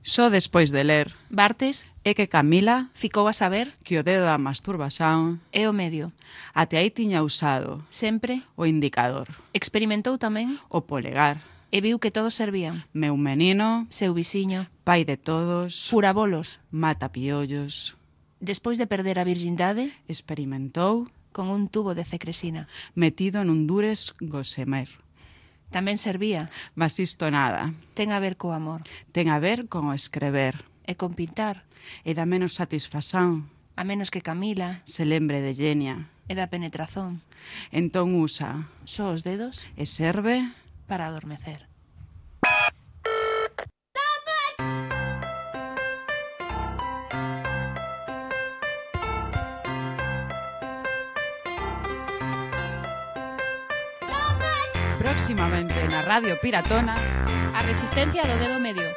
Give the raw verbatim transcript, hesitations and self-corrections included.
Só despois de ler Bartes é que Camila ficou a saber que o dedo da masturbación é o medio. até aí tiña usado Sempre o indicador, experimentou tamén o polegar. e viu que todos servían. Meu menino, Seu vixiño, pai de todos, furabolos. mata piollos, Despois de perder a virxindade, experimentou con un tubo de cecresina. metido nun dures gosemer. Tamén servía. Mas isto nada, Ten a ver co amor. ten a ver con o escrever, E con pintar. e dá menos satisfazón A menos que Camila se lembre de Genia. e da penetrazón. Entón usa Só os dedos e serve para adormecer. próximamente na Radio Piratona A resistencia do dedo medio.